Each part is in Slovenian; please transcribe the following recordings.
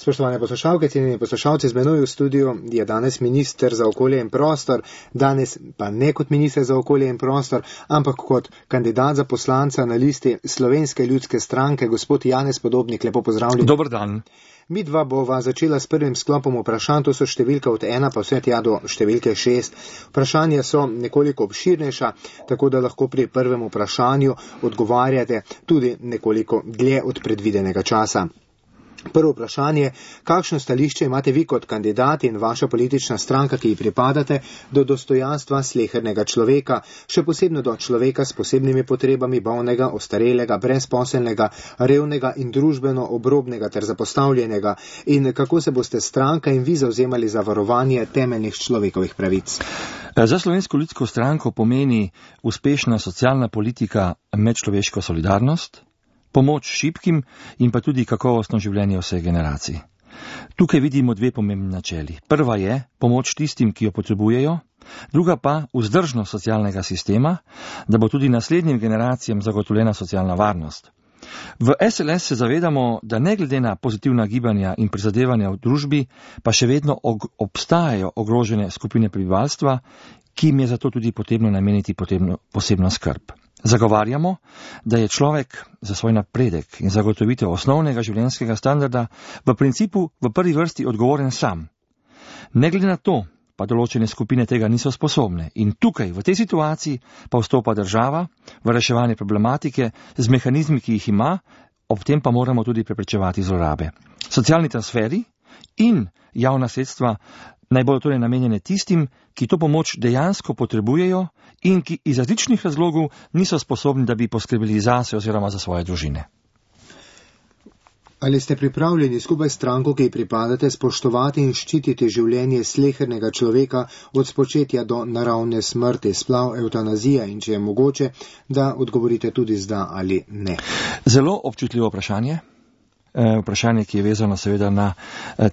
Spoštovane poslušalke, cenjeni poslušalci, z menoj v studiu je danes minister za okolje in prostor, danes pa ne kot minister za okolje in prostor, ampak kot kandidat za poslanca na listi Slovenske ljudske stranke, gospod Janez Podobnik, lepo pozdravljeni. Dober dan. Mi dva bova začela s prvim sklopom vprašanj, to so številka od 1 pa vse tja do številke 6. Vprašanja so nekoliko obširnejša, tako da lahko pri prvem vprašanju odgovarjate tudi nekoliko dlje od predvidenega časa. Prvo vprašanje, kakšno stališče imate vi kot kandidat in vaša politična stranka, ki ji pripadate, do dostojanstva slehernega človeka, še posebno do človeka s posebnimi potrebami, bolnega, ostarelega, brezposelnega, revnega in družbeno obrobnega ter zapostavljenega, in kako se boste stranka in vi zavzemali za varovanje temeljnih človekovih pravic? Za Slovensko ljudsko stranko pomeni uspešna socialna politika medčloveško solidarnost, pomoč šibkim in pa tudi kakovostno življenje vseh generacij. Tukaj vidimo dve pomembni načeli. Prva je pomoč tistim, ki jo potrebujejo, druga pa vzdržnost socialnega sistema, da bo tudi naslednjim generacijam zagotovljena socialna varnost. V SLS se zavedamo, da ne glede na pozitivna gibanja in prizadevanja v družbi, pa še vedno obstajajo ogrožene skupine prebivalstva, ki jim je zato tudi potrebno nameniti posebno skrb. Zagovarjamo, da je človek za svoj napredek in zagotovitev osnovnega življenjskega standarda v principu v prvi vrsti odgovoren sam. Ne glede na to, pa določene skupine tega niso sposobne in tukaj, v tej situaciji, pa vstopa država v reševanje problematike z mehanizmi, ki jih ima, ob tem pa moramo tudi preprečevati zlorabe. Socialni transferi in javna sredstva naj bodo torej namenjene tistim, ki to pomoč dejansko potrebujejo in ki iz različnih razlogov niso sposobni, da bi poskrbeli zase oziroma za svoje družine. Ali ste pripravljeni skupaj s stranko, ki ji pripadate, spoštovati in ščititi življenje slehernega človeka od spočetja do naravne smrti, splav, evtanazija in če je mogoče, da odgovorite tudi z da ali ne? Zelo občutljivo vprašanje. Vprašanje, ki je vezano seveda na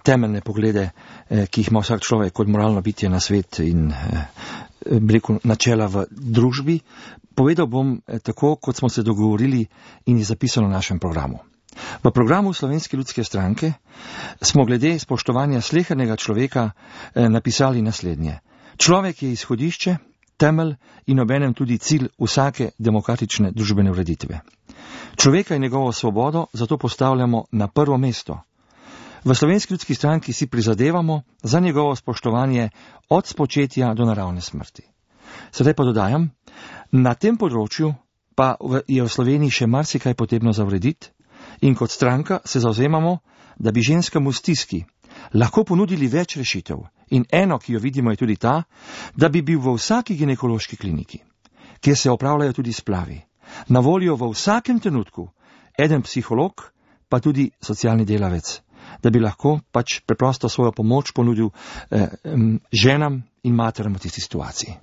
temeljne poglede, ki jih ima vsak človek kot moralno bitje na svet in načela v družbi. Povedal bom tako, kot smo se dogovorili in je zapisano v našem programu. V programu Slovenske ljudske stranke smo glede spoštovanja slehernega človeka napisali naslednje. Človek je izhodišče, temelj in obenem tudi cilj vsake demokratične družbene ureditve. Človeka in njegovo svobodo zato postavljamo na prvo mesto. V Slovenski ljudski stranki si prizadevamo za njegovo spoštovanje od spočetja do naravne smrti. Sedaj pa dodajam, na tem področju pa je v Sloveniji še marsikaj potrebno za urediti in kot stranka se zavzemamo, da bi ženskam v stiski lahko ponudili več rešitev in eno, ki jo vidimo, je tudi ta, da bi bil v vsaki ginekološki kliniki, kjer se opravljajo tudi splavi, na voljo v vsakem trenutku eden psiholog, pa tudi socialni delavec, da bi lahko pač preprosto svojo pomoč ponudil ženam in materam v tisti situaciji.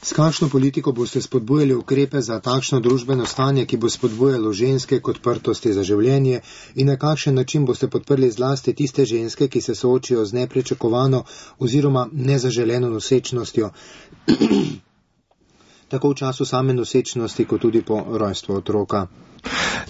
S kakšno politiko boste spodbujali ukrepe za takšno družbeno stanje, ki bo spodbujalo ženske k odprtosti za življenje in na kakšen način boste podprli zlasti tiste ženske, ki se soočijo z nepričakovano oziroma nezaželeno nosečnostjo, tako v času same nosečnosti, kot tudi po rojstvu otroka?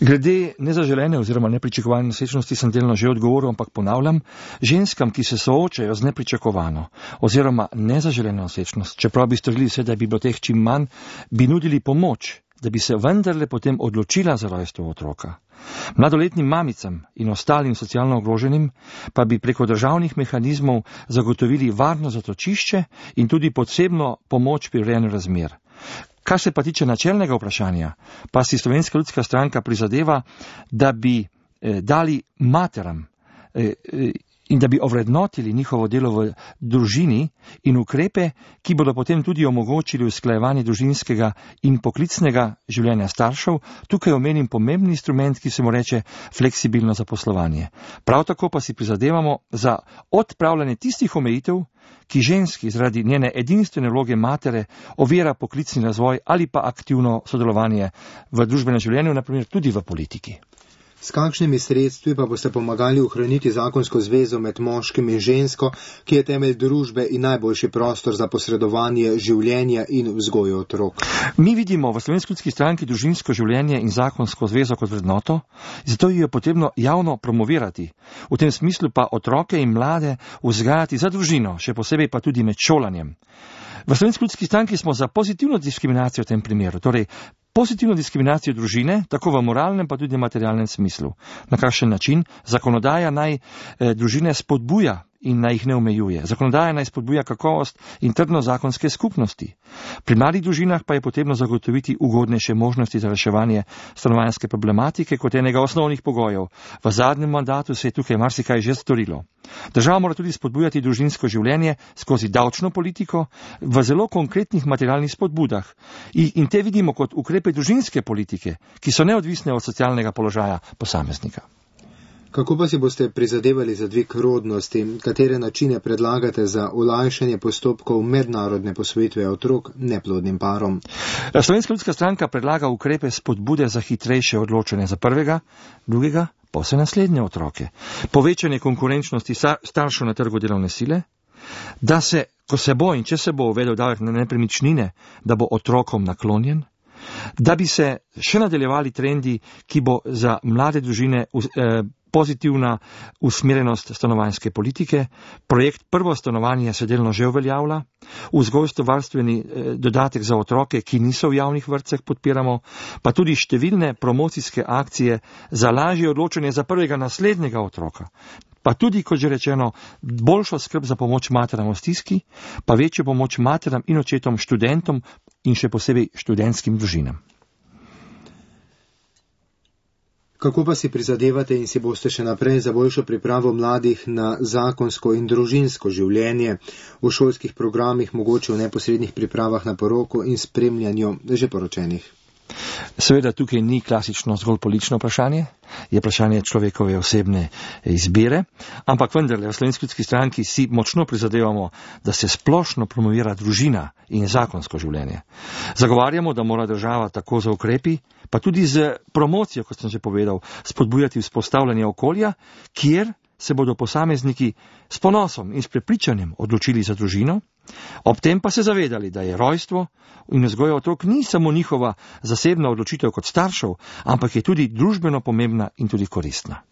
Glede nezaželene oziroma nepričakovane nosečnosti sem delno že odgovoril, ampak ponavljam, ženskam, ki se soočajo z nepričakovano oziroma nezaželeno nosečnost, čeprav bi storili vse, da bi bilo teh čim manj, bi nudili pomoč, da bi se vendarle potem odločila za rojstvo otroka. Mladoletnim mamicam in ostalim socialno ogroženim pa bi preko državnih mehanizmov zagotovili varno zatočišče in tudi posebno pomoč pri urejanju razmer. Kar se pa tiče načelnega vprašanja, pa si Slovenska ljudska stranka prizadeva, da bi dali materam in da bi ovrednotili njihovo delo v družini in ukrepe, ki bodo potem tudi omogočili usklajevanje družinskega in poklicnega življenja staršev. Tukaj omenim pomembni instrument, ki se mu reče fleksibilno zaposlovanje. Prav tako pa si prizadevamo za odpravljanje tistih omejitev, ki ženski zaradi njene edinstvene vloge matere ovira poklicni razvoj ali pa aktivno sodelovanje v družbenem življenju, naprimer tudi v politiki. S kakšnimi sredstvi pa boste pomagali ohraniti zakonsko zvezo med moškim in žensko, ki je temelj družbe in najboljši prostor za posredovanje življenja in vzgojo otrok? Mi vidimo v Slovenski ljudski stranki družinsko življenje in zakonsko zvezo kot vrednoto, zato jo je potrebno javno promovirati. V tem smislu pa otroke in mlade vzgajati za družino, še posebej pa tudi med šolanjem. V Slovenski ljudski stranki smo za pozitivno diskriminacijo v tem primeru, torej pozitivno diskriminacijo družine, tako v moralnem pa tudi materialnem smislu. Na kakšen način? Zakonodaja naj družine spodbuja in naj jih ne omejuje. Zakonodaja naj spodbuja kakovost in trdno zakonske skupnosti. Pri mladih družinah pa je potrebno zagotoviti ugodnejše možnosti za reševanje stanovanjske problematike kot enega osnovnih pogojev. V zadnjem mandatu se je tukaj marsikaj že storilo. Država mora tudi spodbujati družinsko življenje skozi davčno politiko v zelo konkretnih materialnih spodbudah. In te vidimo kot ukrepe družinske politike, ki so neodvisne od socialnega položaja posameznika. Kako pa si boste prizadevali za dvig rodnosti? Katere načine predlagate za olajšanje postopkov mednarodne posvojitve otrok neplodnim parom? Slovenska ljudska stranka predlaga ukrepe spodbude za hitrejše odločanje za prvega, drugega, pa vse naslednje otroke. Povečanje konkurenčnosti staršev na trgu delovne sile, da se, ko se bo in če se bo uvedel davek na nepremičnine, da bo otrokom naklonjen, da bi se še nadaljevali trendi, ki bo za mlade družine pozitivna usmerjenost stanovanjske politike, projekt Prvo stanovanje se delno že uveljavlja, vzgojstvovarstveni dodatek za otroke, ki niso v javnih vrtcih, podpiramo, pa tudi številne promocijske akcije za lažje odločanje za prvega naslednjega otroka. Pa tudi, kot že rečeno, boljšo skrb za pomoč materam v stiski, pa večjo pomoč materam in očetom, študentom in še posebej študentskim družinam. Kako pa si prizadevate in si boste še naprej za boljšo pripravo mladih na zakonsko in družinsko življenje v šolskih programih, mogoče v neposrednih pripravah na poroko in spremljanju že poročenih? Seveda tukaj ni klasično zgolj politično vprašanje, je vprašanje človekove osebne izbire, ampak vendarle v Slovenski ljudski stranki si močno prizadevamo, da se splošno promovira družina in zakonsko življenje. Zagovarjamo, da mora država tako za ukrepi, pa tudi z promocijo, kot sem že povedal, spodbujati vzpostavljanje okolja, kjer se bodo posamezniki s ponosom in s prepričanjem odločili za družino, ob tem pa se zavedali, da je rojstvo in vzgoja otrok ni samo njihova zasebna odločitev kot staršev, ampak je tudi družbeno pomembna in tudi koristna.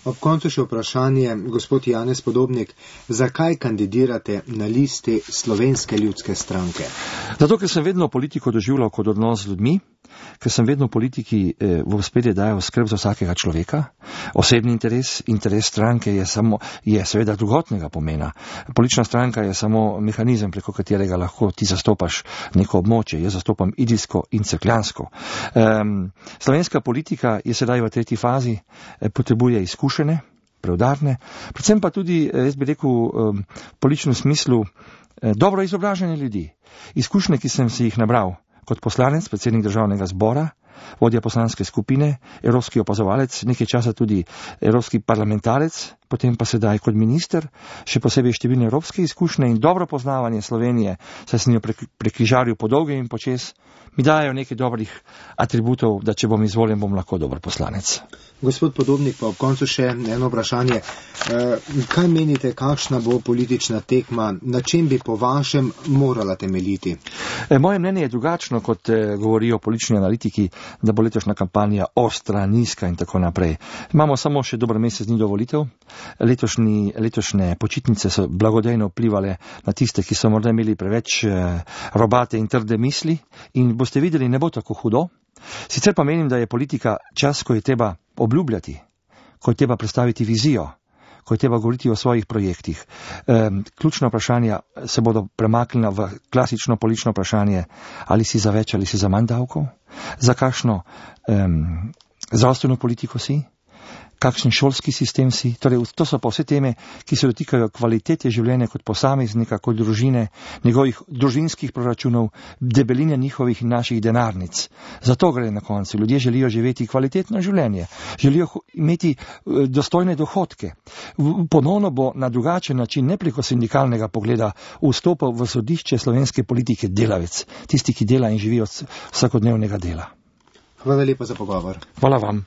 Ob koncu še vprašanje, gospod Janez Podobnik, zakaj kandidirate na listi Slovenske ljudske stranke? Zato, ker sem vedno politiko doživljal kot odnos z ljudmi, ker sem vedno politiki v ospredje dajal skrb za vsakega človeka. Osebni interes stranke je seveda drugotnega pomena. Politična stranka je samo mehanizem, preko katerega lahko ti zastopaš neko območje. Jaz zastopam idrijsko in cerkljansko. Slovenska politika je sedaj v tretji fazi, potrebuje izkušene, preudarne, predvsem pa tudi, jaz bi rekel, v političnem smislu dobro izobražene ljudi. Izkušnje, ki sem si jih nabral kot poslanec, predsednik državnega zbora, vodja poslanske skupine, evropski opazovalec, nekaj časa tudi evropski parlamentarec, potem pa sedaj kot minister, še posebej številne evropske izkušnje in dobro poznavanje Slovenije, saj sem jo prekrižaril po dolge in počes, mi dajo nekaj dobrih atributov, da če bom izvoljen, bom lahko dober poslanec. Gospod Podobnik, pa ob koncu še eno vprašanje. Kaj menite, kakšna bo politična tekma, na čem bi po vašem morala temeljiti? Moje mnenje je drugačno, kot govorijo politični analitiki, da bo letošnja kampanja ostra, nizka in tako naprej. Imamo samo še dober mesec dni do volitev. Letošnje počitnice so blagodejno vplivale na tiste, ki so morda imeli preveč robate in trde misli, in boste videli, ne bo tako hudo. Sicer pa menim, da je politika čas, ko je treba obljubljati, ko je treba predstaviti vizijo, ko je treba govoriti o svojih projektih. Ključna vprašanja se bodo premaknila v klasično politično vprašanje, ali si za več ali si za manj davkov, za kakšno zdravstveno politiko si, kakšen šolski sistem si. Torej, to so pa vse teme, ki se dotikajo kvalitete življenja kot posameznika, kot družine, njegovih družinskih proračunov, debeline njihovih in naših denarnic. Zato gre na koncu. Ljudje želijo živeti kvalitetno življenje, želijo imeti dostojne dohodke. Ponovno bo na drugačen način, ne preko sindikalnega pogleda, vstopal v sodišče slovenske politike delavec, tisti, ki dela in živi od vsakodnevnega dela. Hvala lepa za pogovor. Hvala vam.